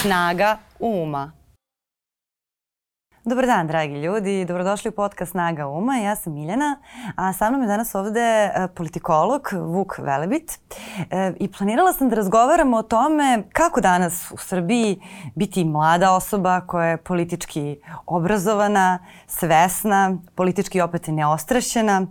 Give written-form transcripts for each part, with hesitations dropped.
Snaga uma. Dobar dan, dragi ljudi. Dobrodošli u podcast Snaga uma. Ja sam Miljana, a sa mnom je danas ovde politikolog Vuk Velebit. I planirala sam da razgovaramo o tome kako danas u Srbiji biti mlada osoba koja je politički obrazovana, svesna, politički opet neostrašćena,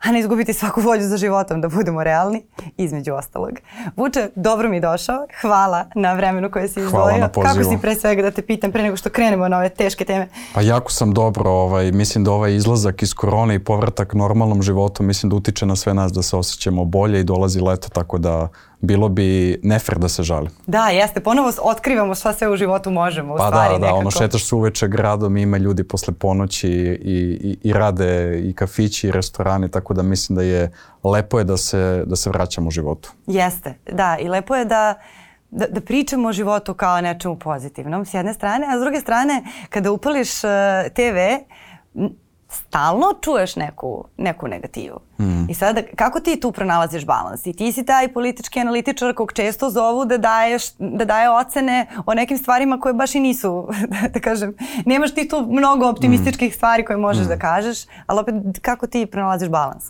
a ne izgubiti svaku volju za životom, da budemo realni, između ostalog. Vuče, dobro mi došao. Hvala na vremenu koje si izdvojio. Hvala na pozivu. Kako si, pre svega, da te pitam pre nego što krenemo na ove teške teme? Pa jako sam dobro. Mislim da ovaj izlazak iz korone i povratak normalnom životu mislim da utiče na sve nas da se osjećamo bolje i dolazi leto, tako da bilo bi nefer da se žali. Da, jeste. Ponovo otkrivamo šta sve u životu možemo. U stvari, da, ono šetaš se uveče gradom i ima ljudi posle ponoći i rade i kafići i restorani, tako da mislim da je lepo je da se vraćamo u životu. Jeste, da. I lepo je da pričamo o životu kao nečemu pozitivnom s jedne strane, a s druge strane kada upališ TV stalno čuješ neku negativu. I sada kako ti tu pronalaziš balans? I ti si taj politički analitičar kog često zovu da daje ocene o nekim stvarima koje baš i nisu, da kažem, nemaš ti tu mnogo optimističkih stvari koje možeš da kažeš, ali opet kako ti pronalaziš balans?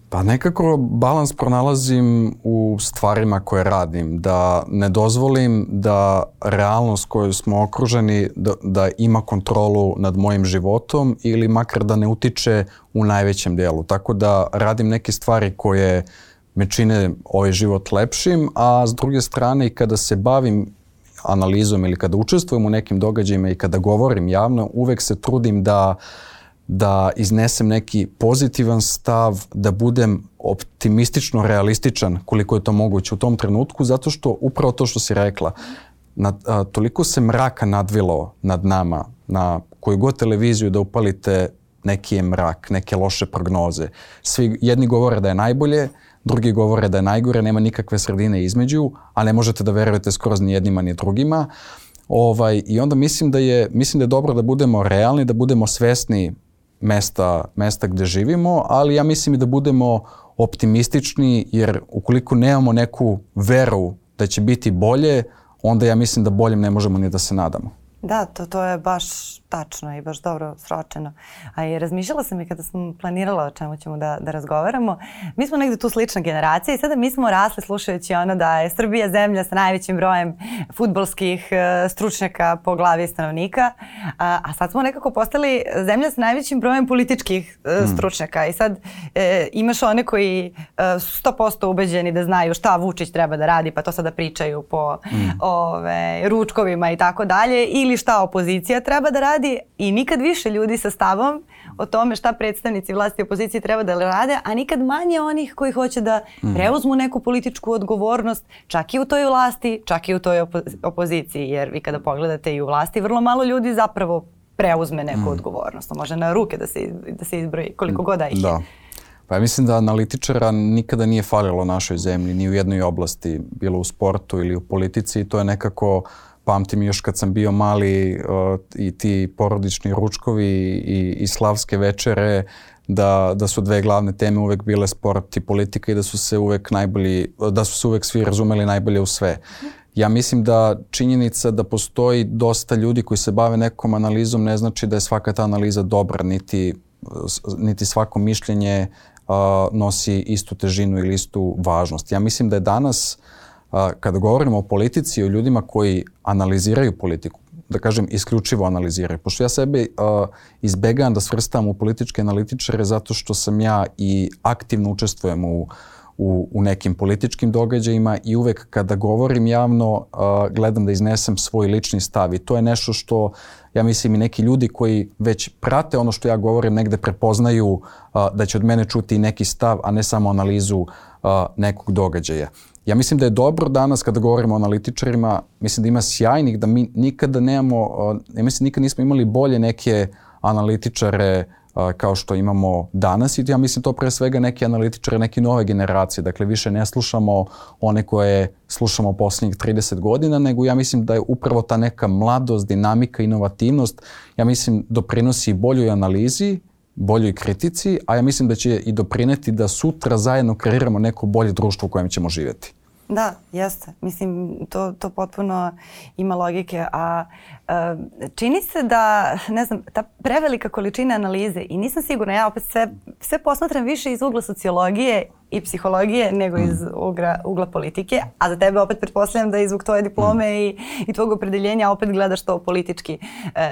Pa nekako balans pronalazim u stvarima koje radim, da ne dozvolim da realnost koju smo okruženi da ima kontrolu nad mojim životom ili makar da ne utiče u najvećem dijelu. Tako da radim neke stvari koje me čine ovaj život lepšim, a s druge strane i kada se bavim analizom ili kada učestvujem u nekim događajima i kada govorim javno, uvek se trudim da iznesem neki pozitivan stav, da budem optimistično realističan koliko je to moguće u tom trenutku, zato što upravo to što si rekla, toliko se mraka nadvilo nad nama, na koju god televiziju da upalite neki je mrak, neke loše prognoze. Jedni govore da je najbolje, drugi govore da je najgore, nema nikakve sredine između, a ne možete da verujete skroz ni jednima ni drugima. I onda mislim da je dobro da budemo realni, da budemo svesni mesta gde živimo, ali ja mislim i da budemo optimistični, jer ukoliko nemamo neku veru da će biti bolje, onda ja mislim da boljem ne možemo ni da se nadamo. Da, to je baš tačno i baš dobro sročeno. A i razmišljala sam i kada sam planirala o čemu ćemo da razgovaramo. Mi smo negde tu slična generacija i sada mi smo rasli slušajući ono da je Srbija zemlja sa najvećim brojem fudbalskih stručnjaka po glavi stanovnika, a sad smo nekako postali zemlja sa najvećim brojem političkih stručnjaka. I sad imaš one koji su 100% ubeđeni da znaju šta Vučić treba da radi, pa to sada pričaju po ručkovima i tako dalje, ili šta opozicija treba da radi, i nikad više ljudi sa stavom o tome šta predstavnici vlasti i opozicije treba da rade, a nikad manje onih koji hoće da preuzmu neku političku odgovornost, čak i u toj vlasti, čak i u toj opoziciji, jer vi kada pogledate i u vlasti, vrlo malo ljudi zapravo preuzme neku odgovornost. Može na ruke da se izbroji koliko god da ih je. Da. Pa ja mislim da analitičara nikada nije falilo našoj zemlji, ni u jednoj oblasti, bilo u sportu ili u politici, i to je nekako, pamtim još kad sam bio mali, i ti porodični ručkovi i slavske večere, da su dve glavne teme uvek bile sport i politika i da su se uvek svi razumeli najbolje u sve. Ja mislim da činjenica da postoji dosta ljudi koji se bave nekom analizom ne znači da je svaka ta analiza dobra, niti svako mišljenje nosi istu težinu ili istu važnost. Ja mislim da je danas, kada govorimo o politici i o ljudima koji analiziraju politiku, da kažem isključivo analiziraju, pošto ja sebe izbegavam da svrstam u političke analitičare zato što sam ja i aktivno učestvujem u nekim političkim događajima i uvek kada govorim javno gledam da iznesem svoj lični stav, i to je nešto što ja mislim i neki ljudi koji već prate ono što ja govorim negde prepoznaju da će od mene čuti i neki stav, a ne samo analizu nekog događaja. Ja mislim da je dobro danas kada govorimo o analitičarima, mislim da ima sjajnih, da mi nikada nikad nismo imali bolje neke analitičare kao što imamo danas, i ja mislim to pre svega neki analitičari, neke nove generacije. Dakle, više ne slušamo one koje slušamo posljednjih 30 godina, nego ja mislim da je upravo ta neka mladost, dinamika, inovativnost, ja mislim doprinosi boljoj analizi, boljoj kritici, a ja mislim da će i doprineti da sutra zajedno kreiramo neko bolje društvo u kojem ćemo živjeti. Da, jeste. Mislim, to potpuno ima logike, a čini se da, ne znam, ta prevelika količina analize i nisam sigurna, ja opet sve posmatram više iz ugla sociologije i psihologije nego iz ugla politike, a za tebe opet pretpostavljam da je zbog tvoje diplome i tvog opredeljenja opet gledaš to politički.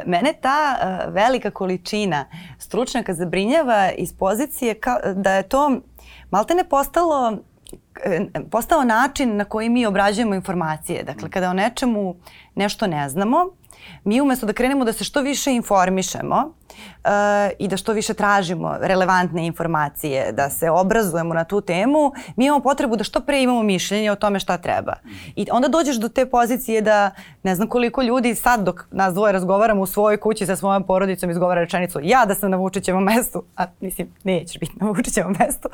Mene ta velika količina stručnjaka zabrinjava iz pozicije da je to maltene postao način na koji mi obrađujemo informacije. Dakle, kada o nečemu nešto ne znamo, mi umjesto da krenemo da se što više informišemo i da što više tražimo relevantne informacije, da se obrazujemo na tu temu, mi imamo potrebu da što pre imamo mišljenje o tome šta treba. I onda dođeš do te pozicije da ne znam koliko ljudi sad dok nas dvoje razgovaramo u svojoj kući sa svojom porodicom izgovara rečenicu ja da sam na Vučićevom mestu, a mislim nećeš biti na Vučićevom mestu.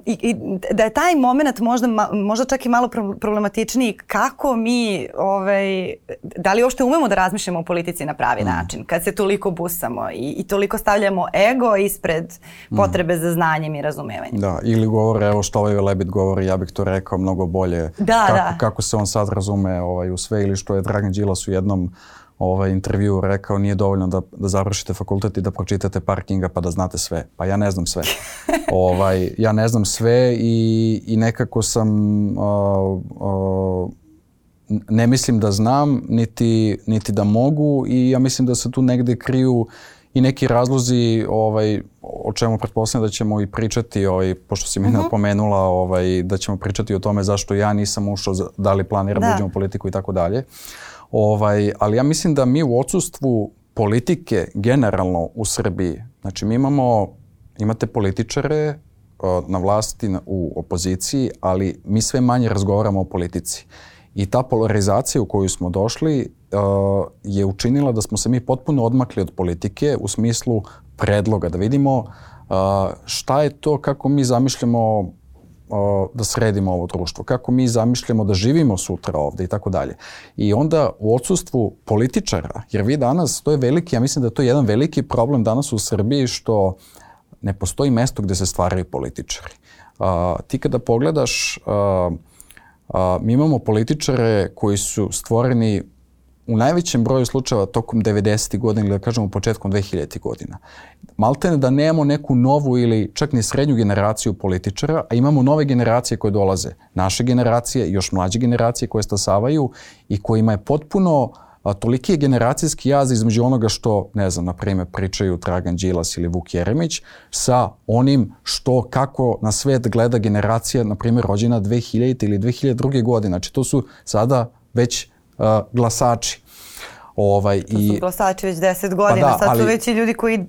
I da je taj moment možda čak i malo problematičniji kako mi, da li uopšte umemo da razmišljamo o politici na pravi način, kad se toliko busamo i toliko stavljamo ego ispred potrebe za znanjem i razumevanjem. Da, ili govore, evo što ovaj Lebit govori, ja bih to rekao mnogo bolje. Kako se on sad razume u sve, ili što je Dragan Đilas u jednom intervju rekao, nije dovoljno da završite fakultet i da pročitate par knjiga pa da znate sve. Pa ja ne znam sve. Ja ne znam sve i nekako sam ne mislim da znam, niti da mogu i ja mislim da se tu negde kriju i neki razlozi o čemu pretpostavljam da ćemo i pričati, pošto si mi napomenula da ćemo pričati o tome zašto ja nisam ušao, da li planiram da uđem u politiku i tako dalje. Ali ja mislim da mi u odsustvu politike generalno u Srbiji, znači mi imate političare na vlasti u opoziciji, ali mi sve manje razgovaramo o politici. I ta polarizacija u koju smo došli je učinila da smo se mi potpuno odmakli od politike u smislu predloga, da vidimo šta je to, kako mi zamišljamo da sredimo ovo društvo, kako mi zamišljamo da živimo sutra ovde i tako dalje. I onda u odsustvu političara, jer vi danas, to je veliki, ja mislim da to je jedan veliki problem danas u Srbiji što ne postoji mesto gde se stvaraju političari. Ti kada pogledaš, mi imamo političare koji su stvoreni u najvećem broju slučajeva tokom 90. godina ili da kažemo početkom 2000. godina. Maltene da nemamo neku novu ili čak ni srednju generaciju političara, a imamo nove generacije koje dolaze. Naše generacije, još mlađe generacije koje stasavaju i kojima je potpuno toliki je generacijski jaz između onoga što, ne znam, na primjer pričaju Dragan Đilas ili Vuk Jeremić sa onim kako na svet gleda generacija, na primjer, rođena 2000. ili 2002. godine. Znači, to su sada već glasači. To su glasači već 10 godina, sad su već i ljudi koji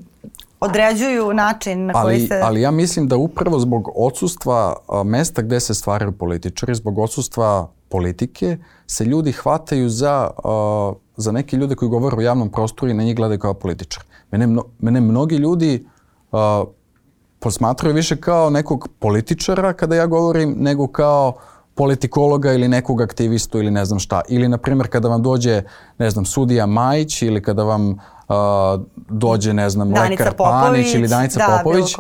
određuju način na koji se... Ali ja mislim da upravo zbog odsustva mesta gde se stvaraju političari, zbog odsustva politike, se ljudi hvataju za neke ljude koji govore u javnom prostoru i na njih gledaju kao političar. Mene mnogi ljudi posmatraju više kao nekog političara kada ja govorim, nego kao politikologa ili nekog aktivistu ili ne znam šta. Ili, na primjer, kada vam dođe, ne znam, sudija Majić ili kada vam dođe, ne znam, lekar Panić ili Danica Popović,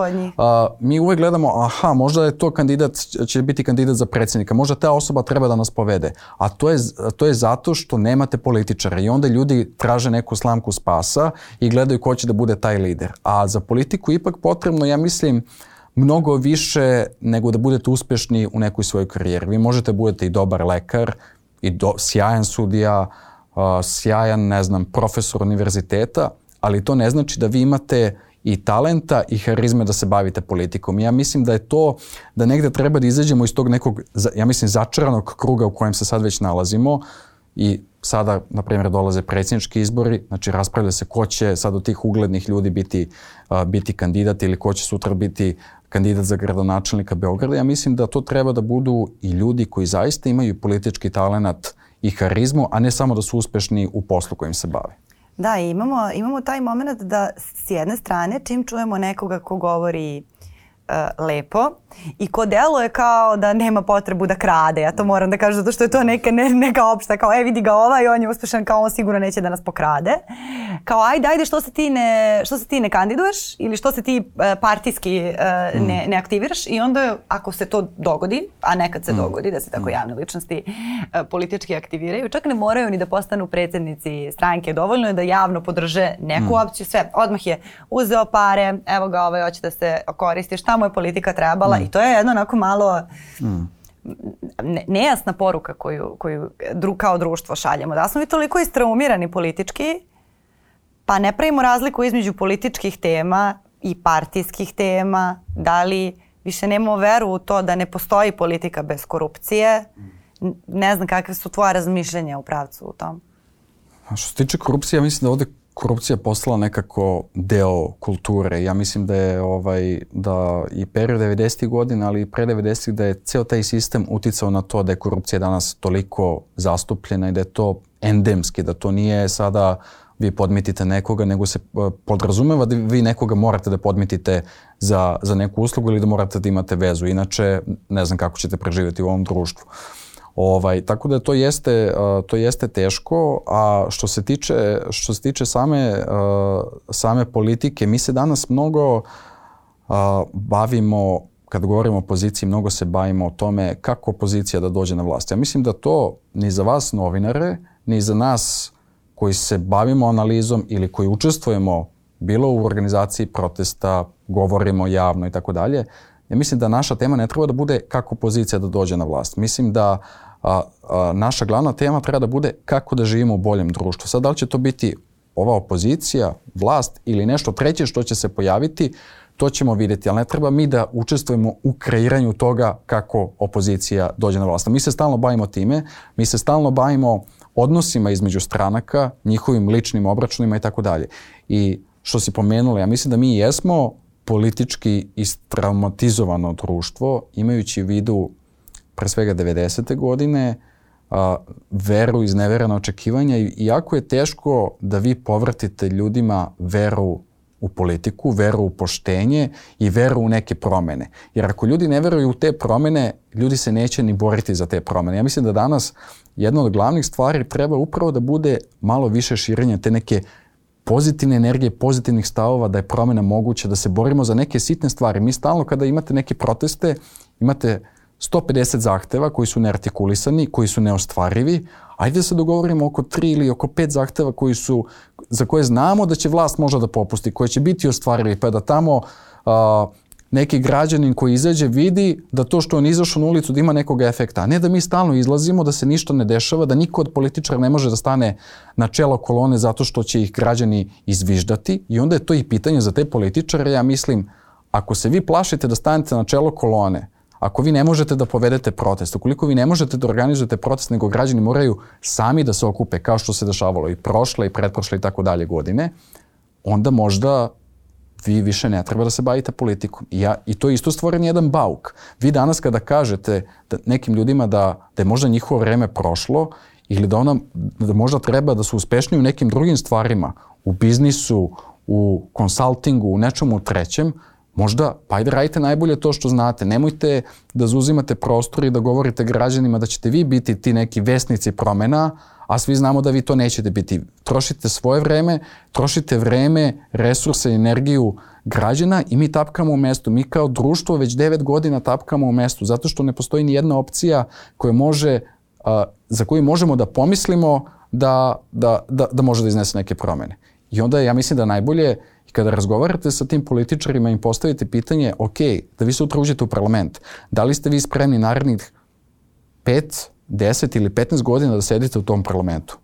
mi uvek gledamo, možda je to će biti kandidat za predsjednika, možda ta osoba treba da nas povede. A to je zato što nemate političara i onda ljudi traže neku slamku spasa i gledaju ko će da bude taj lider. A za politiku ipak potrebno, ja mislim, mnogo više nego da budete uspešni u nekoj svojoj karijeri. Vi možete budete i dobar lekar, i sjajan sudija, sjajan, ne znam, profesor univerziteta, ali to ne znači da vi imate i talenta i harizme da se bavite politikom. Ja mislim da je to, da negde treba da izađemo iz tog nekog, ja mislim, začaranog kruga u kojem se sad već nalazimo i sada, na primjer, dolaze predsjednički izbori, znači raspravlja se ko će sad od tih uglednih ljudi biti kandidat ili ko će sutra biti kandidat za gradonačelnika Beograda. Ja mislim da to treba da budu i ljudi koji zaista imaju politički talenat i harizmu, a ne samo da su uspešni u poslu kojim se bave. Da, imamo taj moment da s jedne strane, čim čujemo nekoga ko govori lepo i ko deluje kao da nema potrebu da krade. Ja to moram da kažem zato što je to neka opšta, kao vidi ga ovaj, on je uspešan, kao on sigurno neće da nas pokrade. Kao ajde, što se ti ne kandiduješ ili što se ti partijski ne aktiviraš i onda ako se to dogodi, a nekad se dogodi da se tako javne ličnosti politički aktiviraju, čak ne moraju ni da postanu predsjednici stranke, dovoljno je da javno podrže neku opciju, sve, odmah je uzeo pare, evo ga ovaj hoće da se koristi, šta mu je politika trebala i to je jedno onako malo nejasna poruka koju kao društvo šaljemo. Da smo mi toliko istraumirani politički, pa ne pravimo razliku između političkih tema i partijskih tema, da li više nemamo veru u to da ne postoji politika bez korupcije. Ne znam kakve su tvoje razmišljenja u pravcu u tom. A što se tiče korupcije, ja mislim da ovdje korupcija postala nekako deo kulture. Ja mislim da je da i period 90. godina, ali i pre 90. da je ceo taj sistem uticao na to da je korupcija danas toliko zastupljena i da je to endemski, da to nije sada vi podmitite nekoga, nego se podrazumeva da vi nekoga morate da podmitite za neku uslugu ili da morate da imate vezu. Inače, ne znam kako ćete preživjeti u ovom društvu. Tako da to jeste teško, a što se tiče same politike, mi se danas mnogo bavimo, kad govorimo o opoziciji, mnogo se bavimo o tome kako opozicija da dođe na vlast. Ja mislim da to ni za vas novinare, ni za nas koji se bavimo analizom ili koji učestvujemo bilo u organizaciji protesta, govorimo javno i tako dalje, ja mislim da naša tema ne treba da bude kako opozicija da dođe na vlast. Mislim da naša glavna tema treba da bude kako da živimo u boljem društvu. Sad, da li će to biti ova opozicija, vlast ili nešto treće što će se pojaviti, to ćemo vidjeti, ali ne treba mi da učestvujemo u kreiranju toga kako opozicija dođe na vlast. Mi se stalno bavimo time, mi se stalno bavimo odnosima između stranaka, njihovim ličnim obračunima i tako dalje. I što si pomenula, ja mislim da mi jesmo politički istraumatizovano društvo, imajući u vidu pre svega 90. godine, veru, izneverena očekivanja i jako je teško da vi povratite ljudima veru u politiku, veru u poštenje i veru u neke promene. Jer ako ljudi ne veruju u te promene, ljudi se neće ni boriti za te promene. Ja mislim da danas jedna od glavnih stvari treba upravo da bude malo više širenja te neke pozitivne energije, pozitivnih stavova, da je promena moguća, da se borimo za neke sitne stvari. Mi stalno kada imate neke proteste, imate 150 zahteva koji su neartikulisani, koji su neostvarivi. Ajde da se dogovorimo oko 3 ili oko 5 zahteva za koje znamo da će vlast možda da popusti, koje će biti ostvarivi, pa da tamo neki građanin koji izađe vidi da to što on izašao na ulicu da ima nekog efekta, a ne da mi stalno izlazimo, da se ništa ne dešava, da niko od političara ne može da stane na čelo kolone zato što će ih građani izviždati i onda je to i pitanje za te političare. Ja mislim, ako se vi plašite da stanete na čelo kolone, ako vi ne možete da povedete protest, ukoliko vi ne možete da organizujete protest, nego građani moraju sami da se okupe, kao što se dešavalo i prošle i pretprošle i tako dalje godine, onda možda vi više ne treba da se bavite politikom. I to je isto stvoren jedan bauk. Vi danas kada kažete nekim ljudima da je možda njihovo vreme prošlo ili da možda treba da su uspešniji u nekim drugim stvarima, u biznisu, u konsultingu, u nečemu trećem, možda, pa ajde radite najbolje to što znate. Nemojte da zauzimate prostor i da govorite građanima da ćete vi biti ti neki vesnici promena, a svi znamo da vi to nećete biti. Trošite svoje vreme, trošite vreme, resurse, energiju građana i mi tapkamo u mestu. Mi kao društvo već 9 godina tapkamo u mestu, zato što ne postoji ni jedna opcija za koju možemo da pomislimo da može da iznese neke promene. I onda ja mislim da najbolje kada razgovarate sa tim političarima im postavite pitanje, ok, da vi sutra uđete u parlament, da li ste vi spremni narednih 5, 10 ili 15 godina da sedite u tom parlamentu?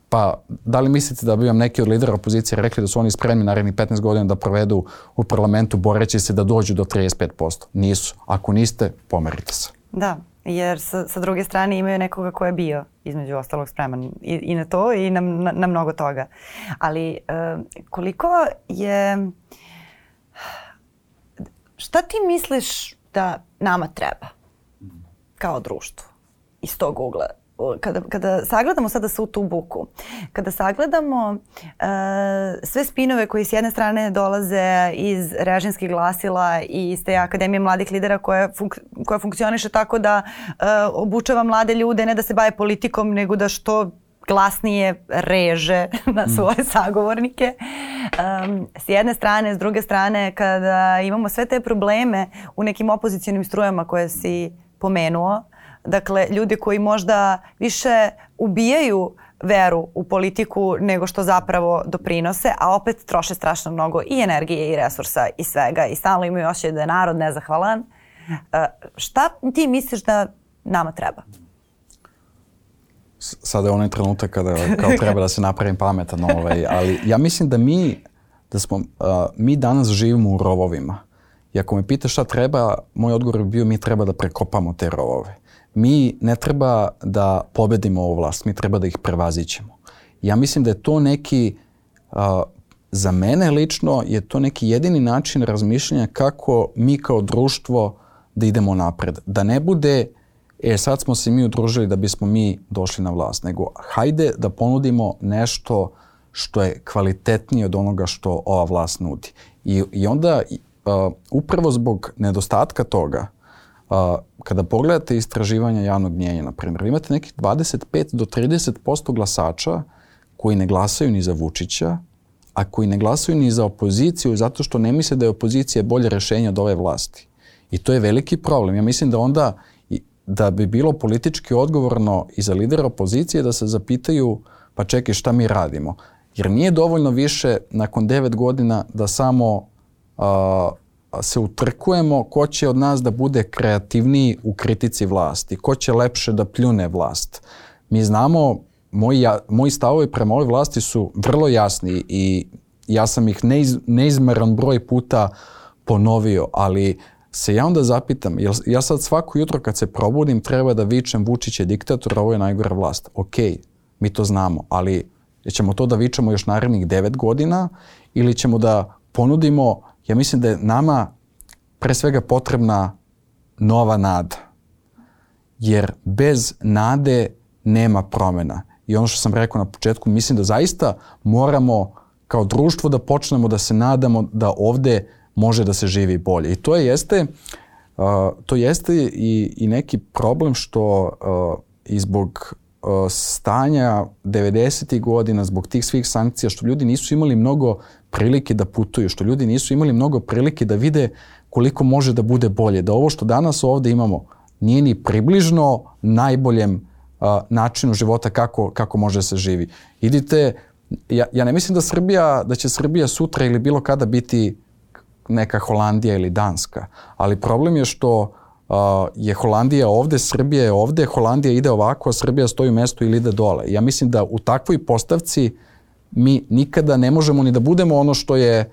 Pa da li mislite da bi vam neki od lidera opozicije rekli da su oni spremni narednih 15 godina da provedu u parlamentu boreći se da dođu do 35%? Nisu. Ako niste, pomerite se. Da, jer sa druge strane imaju nekoga ko je bio između ostalog spreman i na to i na mnogo toga. Ali koliko je... Šta ti misliš da nama treba kao društvo iz tog ugla? kada sagledamo sada svu tu buku, kada sagledamo sve spinove koji s jedne strane dolaze iz režimskih glasila i iz te Akademije mladih lidera koja funkcioniše tako da obučava mlade ljude ne da se bave politikom nego da što glasnije reže na svoje sagovornike. S jedne strane, s druge strane, kada imamo sve te probleme u nekim opozicionim strujama koje si pomenuo, dakle, ljudi koji možda više ubijaju veru u politiku nego što zapravo doprinose, a opet troše strašno mnogo i energije i resursa i svega i stalno imaju osjećaj da je narod nezahvalan. Šta ti misliš da nama treba? Sada je onaj trenutak kada kao treba da se napravim pametan, ali ja mislim da mi danas živimo u rovovima. I ako me pitaš šta treba, moj odgovor bi bio mi treba da prekopamo te rovove. Mi ne treba da pobedimo ovu vlast, mi treba da ih prevazićemo. Ja mislim da je to neki, za mene lično, je to neki jedini način razmišljanja kako mi kao društvo da idemo napred. Da ne bude, sad smo se mi udružili da bismo mi došli na vlast, nego hajde da ponudimo nešto što je kvalitetnije od onoga što ova vlast nudi. I onda, upravo zbog nedostatka toga, kada pogledate istraživanja javnog mnijenja, na primjer, imate nekih 25 do 30% glasača koji ne glasaju ni za Vučića, a koji ne glasaju ni za opoziciju zato što ne misle da je opozicija bolje rešenje od ove vlasti. I to je veliki problem. Ja mislim da onda da bi bilo politički odgovorno i za lidera opozicije da se zapitaju pa čekaj šta mi radimo. Jer nije dovoljno više nakon 9 godina da samo se utrkujemo ko će od nas da bude kreativniji u kritici vlasti, ko će lepše da pljune vlast. Mi znamo, moji stavovi prema ovoj vlasti su vrlo jasni i ja sam ih neizmeran broj puta ponovio, ali se ja onda zapitam, ja sad svako jutro kad se probudim treba da vičem Vučić je diktator, ovo je najgora vlast. Ok, mi to znamo, ali ćemo to da vičemo još narednih 9 godina ili ćemo da ponudimo, ja mislim da je nama pre svega potrebna nova nada. Jer bez nade nema promjena. I ono što sam rekao na početku, mislim da zaista moramo kao društvo da počnemo da se nadamo da ovde može da se živi bolje. I to jeste i neki problem što i zbog stanja 90. godina, zbog tih svih sankcija, što ljudi nisu imali mnogo prilike da putuju, što ljudi nisu imali mnogo prilike da vide koliko može da bude bolje. Da ovo što danas ovde imamo nije ni približno najboljem načinu života kako može da se živi. Idite, ja ne mislim da će Srbija sutra ili bilo kada biti neka Holandija ili Danska, ali problem je što je Holandija ovde, Srbija je ovde, Holandija ide ovako, a Srbija stoji u mestu ili ide dole. Ja mislim da u takvoj postavci mi nikada ne možemo ni da budemo ono što je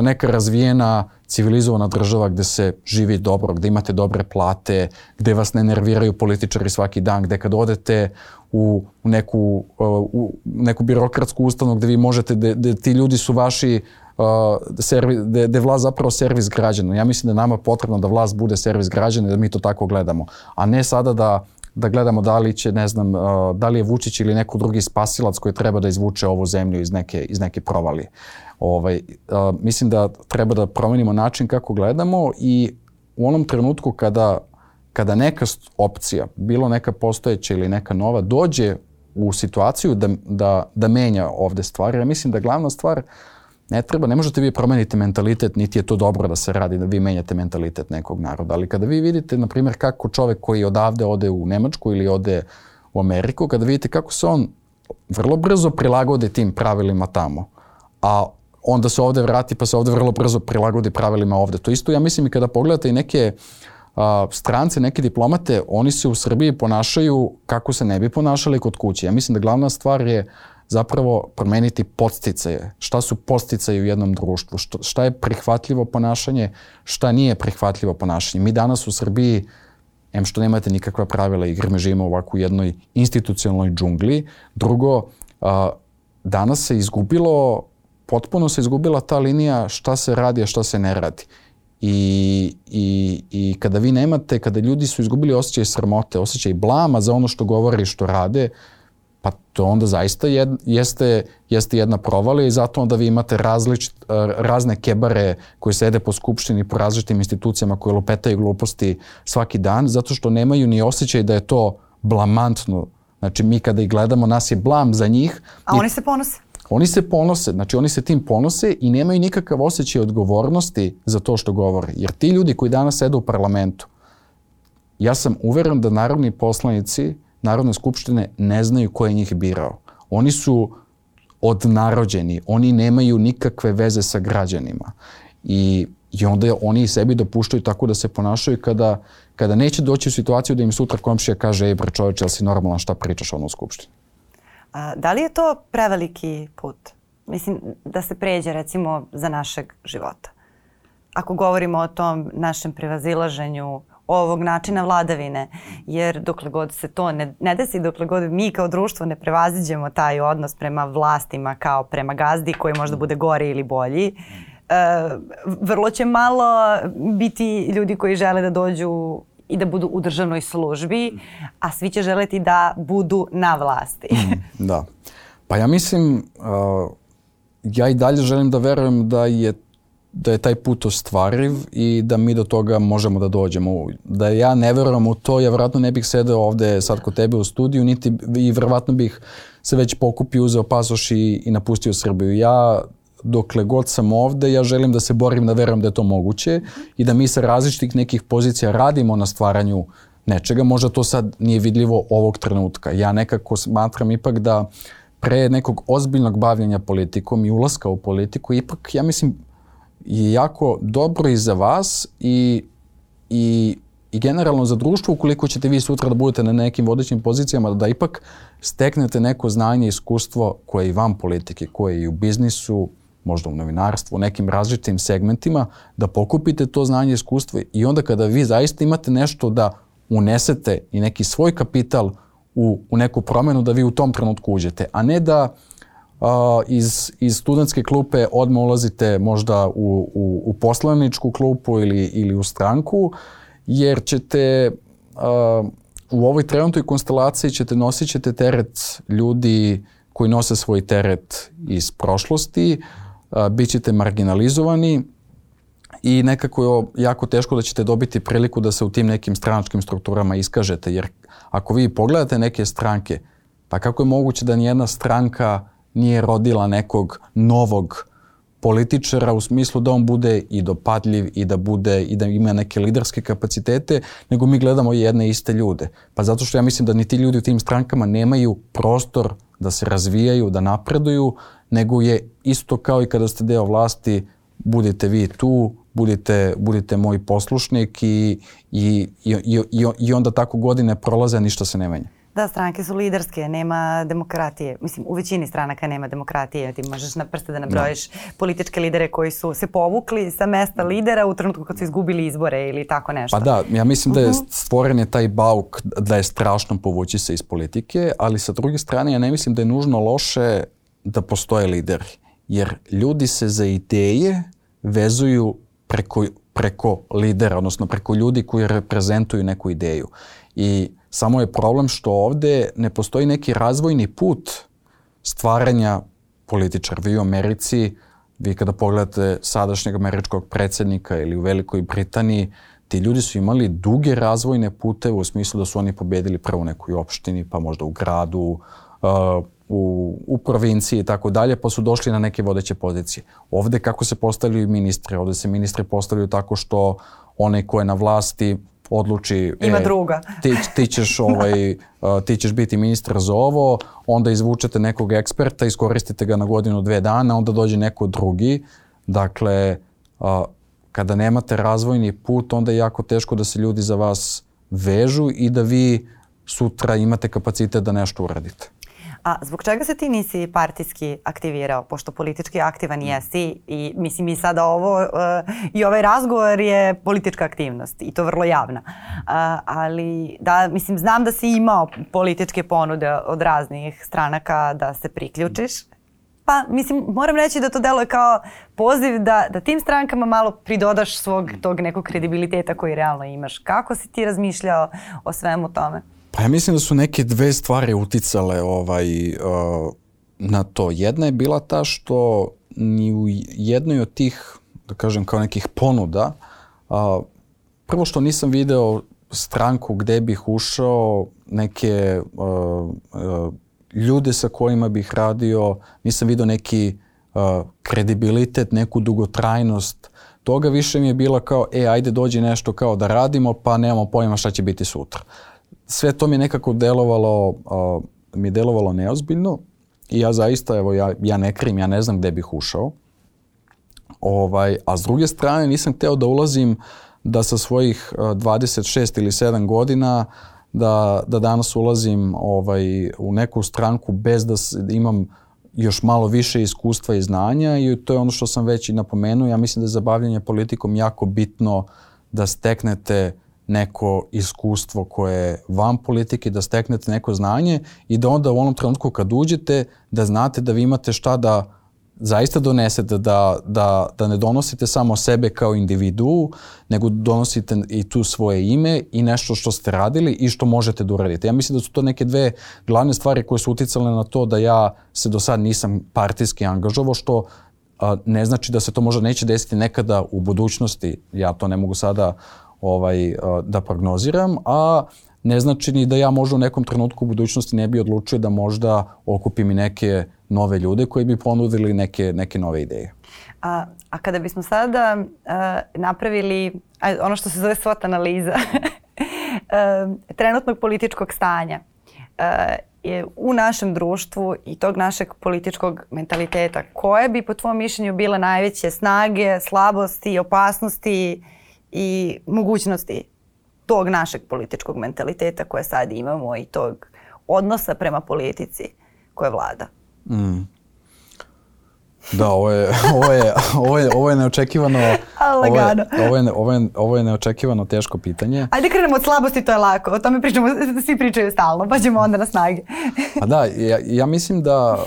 neka razvijena, civilizovana država gde se živi dobro, gde imate dobre plate, gde vas ne nerviraju političari svaki dan, gde kad odete u neku birokratsku ustanovu gde vi možete, gde ti ljudi su vaši, gde je vlast zapravo servis građana. Ja mislim da je nama potrebno da vlast bude servis građana i da mi to tako gledamo, a ne sada da gledamo da li će, ne znam, da li je Vučić ili neko drugi spasilac koji treba da izvuče ovu zemlju iz neke provalije. Mislim da treba da promenimo način kako gledamo i u onom trenutku kada neka opcija, bilo neka postojeća ili neka nova, dođe u situaciju da menja ovde stvari, ja mislim da glavna stvar ne možete vi promeniti mentalitet, niti je to dobro da se radi, da vi menjate mentalitet nekog naroda. Ali kada vi vidite, na primjer, kako čovek koji odavde ode u Nemačku ili ode u Ameriku, kada vidite kako se on vrlo brzo prilagodi tim pravilima tamo, a onda se ovde vrati pa se ovde vrlo brzo prilagodi pravilima ovde. To isto, ja mislim, i kada pogledate i neke strance, neke diplomate, oni se u Srbiji ponašaju kako se ne bi ponašali kod kuće. Ja mislim da glavna stvar je zapravo promeniti podsticaje. Šta su podsticaji u jednom društvu? Šta je prihvatljivo ponašanje? Šta nije prihvatljivo ponašanje? Mi danas u Srbiji, što nemate nikakva pravila igre, mi živimo ovako u jednoj institucionalnoj džungli. Drugo, danas potpuno se izgubila ta linija šta se radi, a šta se ne radi. I kada vi nemate, kada ljudi su izgubili osjećaj sramote, osjećaj blama za ono što govore i što rade, pa to onda zaista jeste jedna provalija i zato onda vi imate razne kebare koji sede po skupštini, po različitim institucijama koje lupetaju gluposti svaki dan, zato što nemaju ni osjećaj da je to blamantno. Znači mi kada ih gledamo, nas je blam za njih. A oni se ponose? Oni se ponose, znači oni se tim ponose i nemaju nikakav osjećaj odgovornosti za to što govore. Jer ti ljudi koji danas sede u parlamentu, ja sam uveren da narodni poslanici Narodne skupštine ne znaju ko je njih birao. Oni su odnarođeni, oni nemaju nikakve veze sa građanima. I onda oni sebi dopuštaju tako da se ponašaju kada neće doći u situaciju da im sutra komšija kaže ej bre čoveče, jel si normalan, šta pričaš ono u skupštini? Da li je to preveliki put? Mislim, da se pređe recimo za našeg života. Ako govorimo o tom našem prevazilaženju ovog načina vladavine, jer dokle god se to ne desi, dokle god mi kao društvo ne prevaziđemo taj odnos prema vlastima kao prema gazdi koji možda bude gori ili bolji, vrlo će malo biti ljudi koji žele da dođu i da budu u državnoj službi, a svi će želeti da budu na vlasti. Da. Pa ja mislim, ja i dalje želim da verujem da je taj put ostvariv i da mi do toga možemo da dođemo. Da ja ne verujem u to, ja vjerojatno ne bih sedeo ovde sad kod tebe u studiju, niti i vjerojatno bih se već pokupio, uzeo pasoš i napustio Srbiju. Ja, dokle god sam ovde, ja želim da se borim, da verujem da je to moguće i da mi sa različitih nekih pozicija radimo na stvaranju nečega. Možda to sad nije vidljivo ovog trenutka. Ja nekako smatram ipak da pre nekog ozbiljnog bavljenja politikom i ulaska u politiku, ipak, ja mislim, je jako dobro i za vas i generalno za društvo ukoliko ćete vi sutra da budete na nekim vodećim pozicijama, da ipak steknete neko znanje i iskustvo koje je i van politike, koje je i u biznisu, možda u novinarstvu, u nekim različitim segmentima, da pokupite to znanje i iskustvo i onda kada vi zaista imate nešto da unesete i neki svoj kapital u neku promenu, da vi u tom trenutku uđete, a ne da iz studentske klupe odmah ulazite možda u poslaničku klupu ili u stranku, jer ćete u ovoj trenutnoj konstelaciji nosit ćete teret ljudi koji nose svoj teret iz prošlosti, bit ćete marginalizovani i nekako je jako teško da ćete dobiti priliku da se u tim nekim stranačkim strukturama iskažete, jer ako vi pogledate neke stranke, pa kako je moguće da nijedna stranka nije rodila nekog novog političara u smislu da on bude i dopadljiv i da ima neke liderske kapacitete, nego mi gledamo jedne iste ljude. Pa zato što ja mislim da ni ti ljudi u tim strankama nemaju prostor da se razvijaju, da napreduju, nego je isto kao i kada ste deo vlasti, budite vi tu, budite moj poslušnik i onda tako godine prolaze, a ništa se ne menja. Da, stranke su liderske, nema demokratije. Mislim, u većini stranaka nema demokratije. Ti možeš na prste da nabrojiš političke lidere koji su se povukli sa mesta lidera u trenutku kad su izgubili izbore ili tako nešto. Pa da, ja mislim da je stvoren je taj bauk da je strašno povući se iz politike, ali sa druge strane ja ne mislim da je nužno loše da postoje lideri. Jer ljudi se za ideje vezuju preko lidera, odnosno preko ljudi koji reprezentuju neku ideju. I samo je problem što ovde ne postoji neki razvojni put stvaranja političara. Vi u Americi, vi kada pogledate sadašnjeg američkog predsjednika ili u Velikoj Britaniji, ti ljudi su imali duge razvojne puteve u smislu da su oni pobedili prvo u nekoj opštini, pa možda u gradu, u provinciji i tako dalje, pa su došli na neke vodeće pozicije. Ovde kako se postavljaju ministri? Ovde se ministri postavljaju tako što onaj ko je na vlasti odluči ima druga. Ti ćeš biti ministar za ovo, onda izvučete nekog eksperta, iskoristite ga na godinu, 2 dana, onda dođe neko drugi. Dakle, kada nemate razvojni put, onda je jako teško da se ljudi za vas vežu i da vi sutra imate kapacitet da nešto uradite. A zbog čega se ti nisi partijski aktivirao, pošto politički aktivan jesi i mislim i sada i ovaj razgovor je politička aktivnost i to vrlo javna. Ali da, mislim, znam da si imao političke ponude od raznih stranaka da se priključiš Pa, mislim, moram reći da to deluje kao poziv da tim strankama malo pridodaš svog tog nekog kredibiliteta koji realno imaš. Kako si ti razmišljao o svemu tome? Pa ja mislim da su neke dve stvari uticale na to. Jedna je bila ta što ni u jednoj od tih, da kažem, kao nekih ponuda, prvo što nisam video stranku gde bih ušao, neke ljude sa kojima bih radio, nisam vidio neki kredibilitet, neku dugotrajnost toga. Više mi je bilo kao, ajde dođi nešto kao da radimo, pa nemamo pojma šta će biti sutra. Sve to mi je nekako delovalo neozbiljno i ja zaista, evo, ja ne krim, ja ne znam gde bih ušao. A s druge strane nisam hteo da ulazim da sa svojih 26 ili 7 godina da danas ulazim u neku stranku bez da imam još malo više iskustva i znanja i to je ono što sam već i napomenuo. Ja mislim da je za bavljanje politikom jako bitno da steknete neko iskustvo koje je van politike, da steknete neko znanje i da onda u onom trenutku kad uđete da znate da vi imate šta da zaista donesete, da ne donosite samo sebe kao individuu, nego donosite i tu svoje ime i nešto što ste radili i što možete da uradite. Ja mislim da su to neke dve glavne stvari koje su uticale na to da ja se do sad nisam partijski angažovao, što ne znači da se to možda neće desiti nekada u budućnosti. Ja to ne mogu sada da prognoziram, a ne znači ni da ja možda u nekom trenutku u budućnosti ne bi odlučio da možda okupim i neke nove ljude koji bi ponudili neke nove ideje. A kada bismo sada napravili ono što se zove SWOT analiza trenutnog političkog stanja u našem društvu i tog našeg političkog mentaliteta, koje bi po tvom mišljenju bile najveće snage, slabosti, opasnosti i mogućnosti tog našeg političkog mentaliteta koje sad imamo i tog odnosa prema politici koje vlada? Da, ovo je neočekivano. Ovo je neočekivano teško pitanje. Ajde krenemo od slabosti, to je lako. O tome pričamo, svi pričaju stalno, pa ćemo onda na snage. Pa da, ja mislim da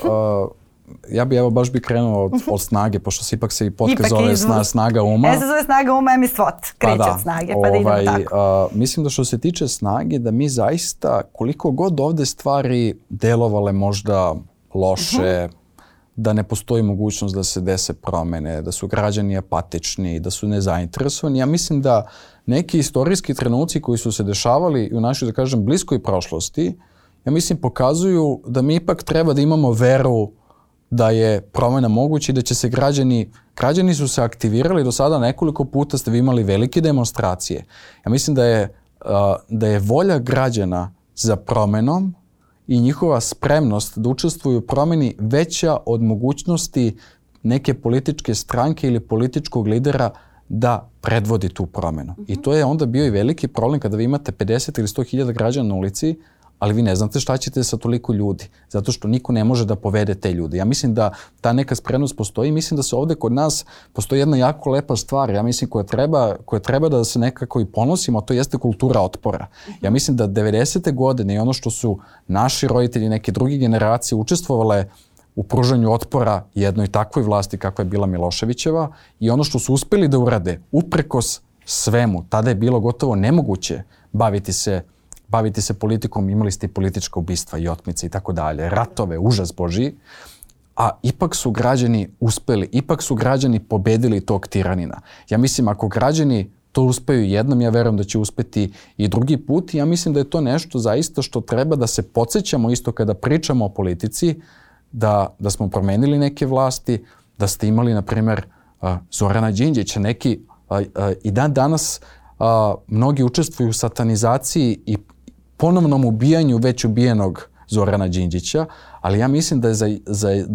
ja bi baš krenuo od snage, pošto se ipak i podcast zove Snaga uma. Se zove Snaga uma, mi SWOT, kreće od snage, pa da idemo tako. Mislim da što se tiče snage, da mi zaista, koliko god ovde stvari delovale možda loše, da ne postoji mogućnost da se dese promene, da su građani apatični, da su nezainteresovani. Ja mislim da neki istorijski trenuci koji su se dešavali u našoj, da kažem, bliskoj prošlosti, ja mislim pokazuju da mi ipak treba da imamo veru da je promena moguća i da će se građani su se aktivirali do sada nekoliko puta, ste vi imali velike demonstracije. Ja mislim da je volja građana za promenom i njihova spremnost da učestvuju u promeni veća od mogućnosti neke političke stranke ili političkog lidera da predvodi tu promenu. I to je onda bio i veliki problem kada vi imate 50 ili 100.000 građana na ulici, ali vi ne znate šta ćete sa toliko ljudi, zato što niko ne može da povede te ljude. Ja mislim da ta neka spremnost postoji, mislim da se ovde kod nas postoji jedna jako lepa stvar, ja mislim koja treba da se nekako i ponosimo, a to jeste kultura otpora. Ja mislim da 90. godine i ono što su naši roditelji, neke druge generacije učestvovale u pružanju otpora jednoj takvoj vlasti kakva je bila Miloševićeva i ono što su uspeli da urade uprkos svemu, tada je bilo gotovo nemoguće baviti se politikom, imali ste i politička ubistva i otmice i tako dalje, ratove, užas Božji, a ipak su građani uspeli, ipak su građani pobedili tog tiranina. Ja mislim, ako građani to uspeju jednom, ja verujem da će uspeti i drugi put i ja mislim da je to nešto zaista što treba da se podsjećamo isto kada pričamo o politici, da smo promenili neke vlasti, da ste imali, na primer, Zorana Đinđića, neki i danas mnogi učestvuju u satanizaciji i ponovnom ubijanju već ubijenog Zorana Đinđića, ali ja mislim da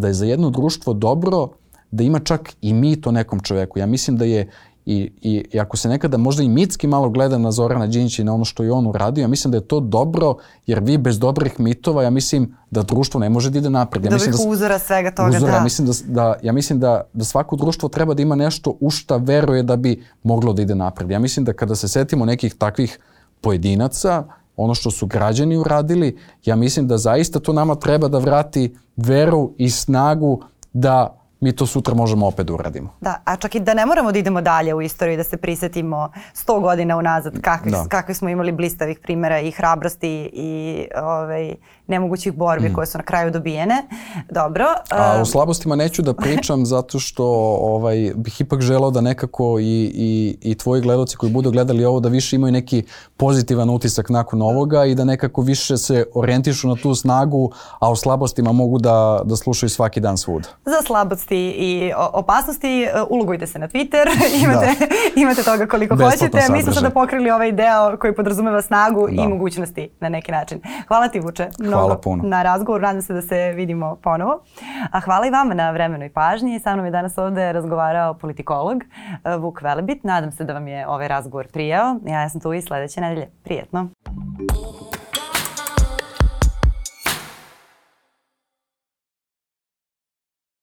je za jedno društvo dobro da ima čak i mit o nekom čoveku. Ja mislim da je i ako se nekada možda i mitski malo gleda na Zorana Đinđića i na ono što je on uradio, ja mislim da je to dobro, jer vi bez dobrih mitova, ja mislim da društvo ne može da ide napred. Dobrih uzora svega toga, da. Ja mislim da svako društvo treba da ima nešto u šta veruje da bi moglo da ide napred. Ja mislim da kada se setimo nekih takvih pojedinaca, ono što su građani uradili, ja mislim da zaista to nama treba da vrati veru i snagu da mi to sutra možemo opet da uradimo. Da, a čak i da ne moramo da idemo dalje u istoriju, da se prisetimo 100 godina unazad kakvi smo imali blistavih primjera i hrabrosti i nemogućih borbi koje su na kraju dobijene. Dobro. A o slabostima neću da pričam zato što bih ipak želeo da nekako i tvoji gledaoci koji budu gledali ovo da više imaju neki pozitivan utisak nakon ovoga i da nekako više se orijentišu na tu snagu, a o slabostima mogu da slušaju svaki dan svuda. Za slabosti i opasnosti ulogujte se na Twitter, imate toga koliko hoćete. Mi smo sada pokrili ovaj deo koji podrazumeva snagu i mogućnosti na neki način. Hvala ti, Vuče, mnogo na razgovor. Nadam se da se vidimo ponovo. A hvala i vama na vremenu i pažnji. Sa mnom je danas ovde razgovarao politikolog Vuk Velebit. Nadam se da vam je ovaj razgovor prijao. Ja sam tu i sledeće nedelje. Prijetno.